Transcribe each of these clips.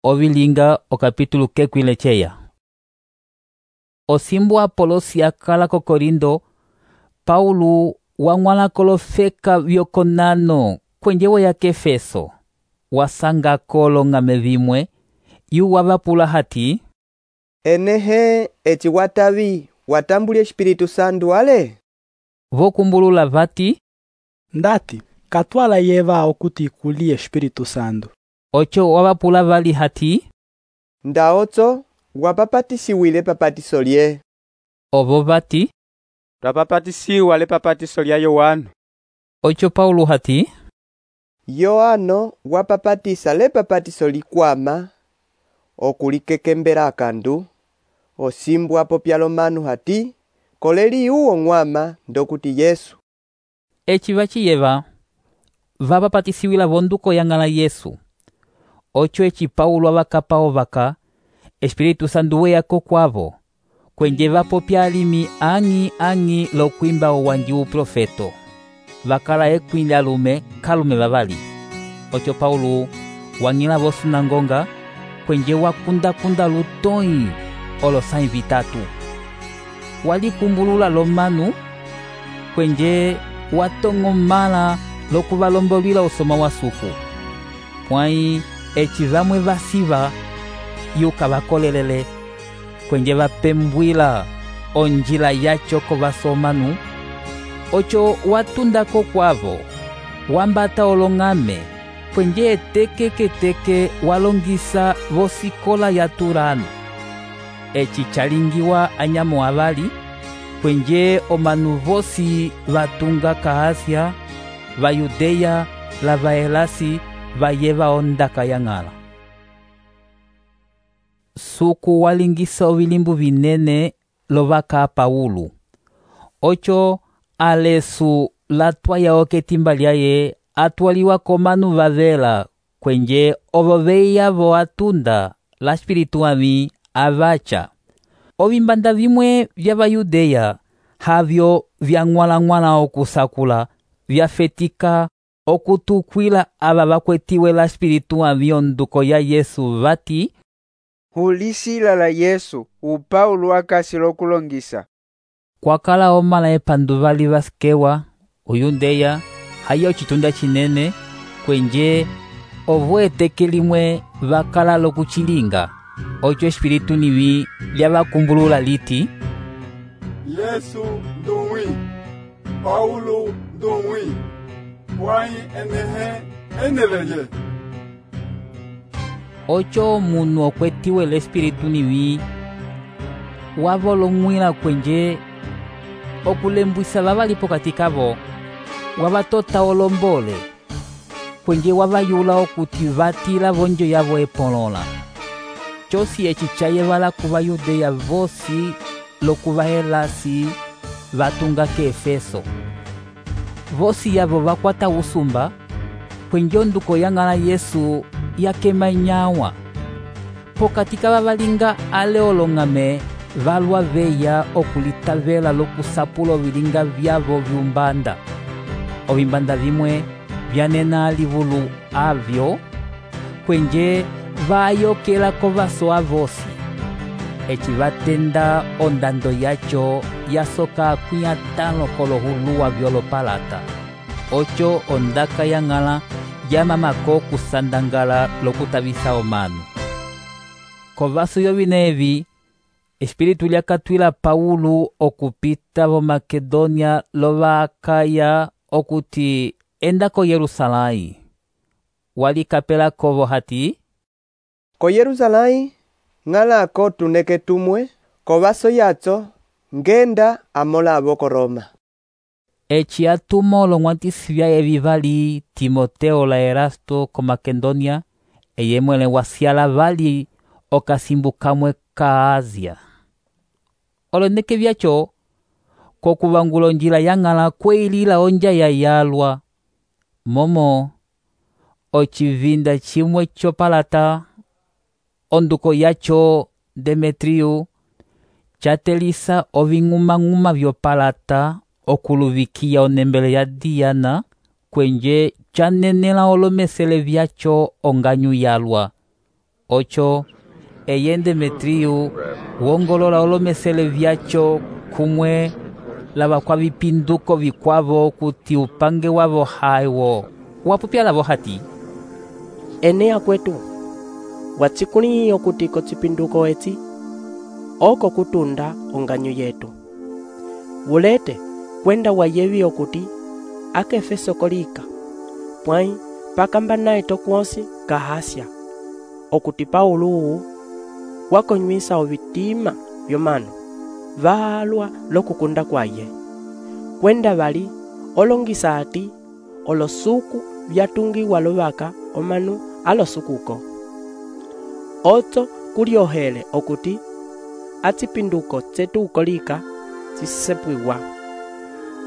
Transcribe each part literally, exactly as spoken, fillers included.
ovilinga okapítulo kekwile cheya. Osimbu Apolosi akala ko Korindo, Paulo wang'wala kolofeka vyokonano kwenjewo ya Kefeso, wasanga kolong'ame vimwe, yu wavapula hati, enehe eci watavi watambulya Espiritu Santo ale? Vokumbulula vati, ndati katwala yeva okuti kuliye Espiritu Santo. Ocho wavapula vali hati, ndaotso wapapatisiwile papatiso lye. Ovo vati, twapapatisiwa le papatiso lya Yohano. Ocho Paulo hati, Yohano wapapatisa le papatiso likwama okulikekembera akandu, osimbu apopyalo manu hati koleli uwo ng'wama ndokuti Yesu. Eci vaciyeva vapapatisiwila vonduko yang'ala Yesu. Ocho eci Paulo avakapa ovaka, Espiritu Santo weyako kwavo, kwenje vapopya alimi ang'i ang'i lokwimba owanji uprofeto. Vakala ekwile alume kalume vavali. Ocho Paulo wang'ila vosunangonga, kwenje wakunda-kunda lutoi olosai vitatu. Walikumbulula lomanu, kwenje watong'omala lokuvalombolwila usoma wa suku. Pwai eci vamwe vasiva yuka vakolelele, kwenje vapembwila onjila yacho kovasomanu. Ocho watundako kwavo, wambata olong'ame, kwenje eteke-keteke walongisa vosikola ya Turano. Eci chalingiwa anyamo avali, kwenje omanu vosi vatunga ka Asia, va Yudeya, la vaelasi, vayeva ondaka yang'ala. Suku walingisa ovilimbu vinene lovaka Paulo. Ocho alesu latwaya oketimba lyaye atwaliwa komanu vavela, kwenje ovo veya vo atunda la Espiritu ami avacha. Ovimbanda vimwe vya Vayudeya havyo vyang'wala-ng'wala okusakula, vyafetika okutukwila ava vakwetiwe la Espiritu ami onduko ya Yesu vati, Hulisila la Yesu upaulo akasi lokulongisa. Kwakala omala epandu vali vasikewa, Uyudeya, hayo chitunda chinene, kwenje ovo eteke limwe vakala lokuchilinga. Ocho Espiritu nivi lyavakumbulula liti, Yesu ndung'wi, Paulo ndung'wi, pwai enehe eneleye. Ocho munu okwetiwe l'Espiritu nivi wavolong'wila kwenje okulembwisa vavalipo katikavo, wavatota olombole, kwenje wavayula okuti vatila vonjo yavo epolola. Chosi eci chayevala kuva Yudeya vosi lokuvaelasi vatunga ke Efeso. Vosi yavo vakwata usumba, kwenje onduko yang'ala Yesu yakema nyawa. Pokatika vavalinga ale olong'ame valwa veya okulitavela lokusapula ovilinga vyavo vyumbanda. Ovimbanda vimwe vyanena alivulu avyo, kwenje vayokela kovaso avosi. Eci vatenda ondando yacho yasoka kuya tano kolohuluwa vyolopalata. Ocho ondaka yang'ala yamamako kusandangala lokutavisa omanu. Kovaso yovinevi, Espiritu lyakatwila Paulo okupita vo Makedonia lova Akaya okuti enda ko Yerusalai. Walikapela kovo hati, Ko Yerusalai ng'alako tuneke tumwe, kovaso yatso ngenda amola avo ko Roma. Eci atumo olong'wantisi vyaye vivali Timoteo la Erasto ko Makedonia, eyemwele wasiala vali okasimbu kamwe ka Asia. Oloneke vyacho kokuvangula onjila yang'ala kweilila onja ya yalwa. Momo ocivinda chimwe chopalata, onduko yacho Demetrio, chatelisa oving'uma-ng'uma vyopalata okuluvikia onembele ya Diana, kwenje chanenela olomesele vyacho onganyu yalwa. Ocho eye Demetriu wongolola olomesele vyacho kumwe lava kwa vipinduko vikwavo kuti upange wavo haiwo wapupya lavo hati Enea kwetu watsikuli okuti kotsipinduko etsi oko kutunda onganyu yetu ulete kwenda wayevi okuti akefeso kolika pwai pakamba naye tokwonsi kahasya okuti Paulo wakonywisa ovitima vyomanu valwa lokukunda kwaye kwenda vali olongisa ati olosuku vyatungiwa lovaka omanu alosukuko otso kuliohele okuti atsipinduko tsetu ukolika tsisepwiwa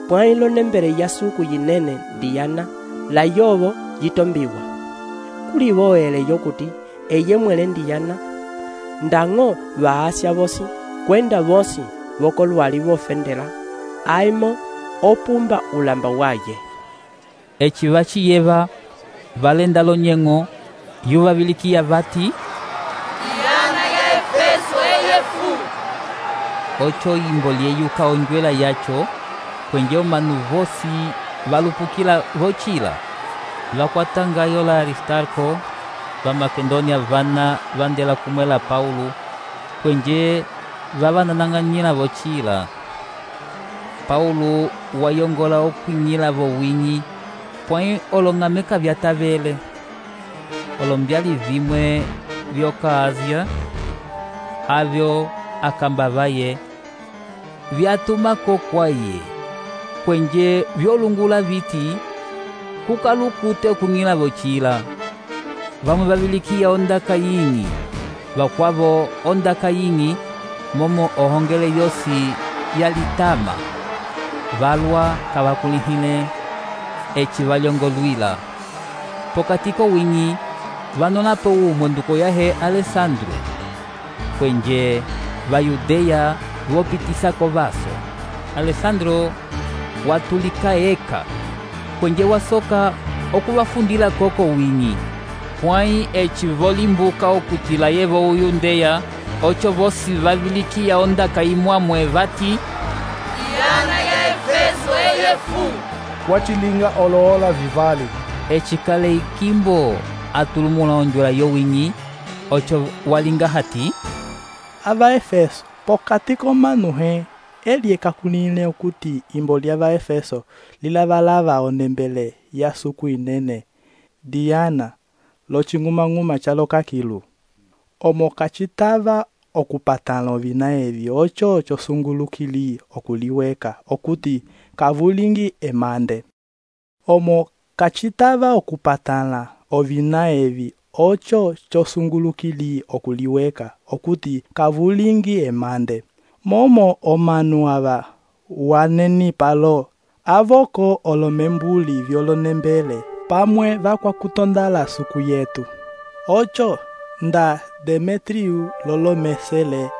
pwai lonembele ya suku yinene Diana la yovo yitombiwa kulivoele yokuti eye mwele Diana ndang'o vaasya vosi kwenda vosi vokolwali vofendela aimo opumba ulamba waye eci vaciyeva valenda lonyeng'o yuvavilikiya vati Diana ya Efeso eyefu. Ocho imbo lyeyuka onjwela yacho kwenje omanu vosi valupukila vocila vakwatangayo la Aristarco va Makedonia vana vandela kumwela Paulo kwenje vavananang'anyila vocila Paulo wayongola okwinyila vowinyi pwai olong'ameka vyatavele olombyali vimwe vyoka Asia avyo akamba vaye vyatumako kwaye kwenje vyolungula viti kukalukute okung'ila vocila vamwe vavilikiya ondaka yingi vakwavo ondaka yingi momo ohongele yosi yalitama valwa kavakulihile eci valyongolwila pokati kowinyi vanonapo umwe nduko yahe Alessandro kwenje vayudeya vopitisako vaso Alessandro watulika eka kwenje wasoka okuvafundila koko winyi pwai eci volimbuka okutila yevo uyundeya ocho vosi vavilikiya ondaka imwamwe vati Diana ya Efeso eyefu. wachilinga oloola vivali eci kale ikimbo atulumula onjwela yowinyi ocho walinga hati ava Efeso pokati komanuhe eli ekakulile okuti imbo lya va Efeso lilavalava onembele ya suku inene Diana loching'umang'uma chalokakilu omo kacitava okupatala ovina evi ocho ocho sungulukili okuliweka okuti kavulingi emande omo kacitava okupatala ovina evi ocho chosungulukili okuliweka okuti kavulingi emande momo omanu ava waneni palo avoko olomembuli vyolonembele pamwe vakwakutondala suku yetu ocho nda Demetriu lolomesele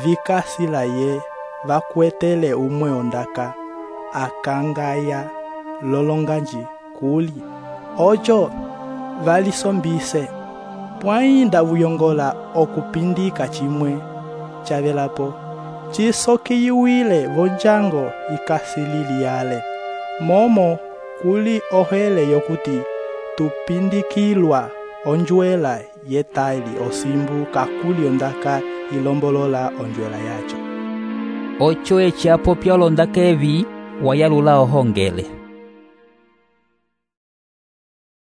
vikasila ye vakwetele umwe ondaka akangaya lolonganji kuli ocho valisombise pwai ndavuyongola okupindika chimwe chavelapo chisokiyiwile vonjango ikasililiyale momo kuli ohele yokuti tupindikilwa onjwela yetaili osimbu kakuli ondaka ilombolola onjwela yacho ocho eci apopya olondaka evi wayalula ohongele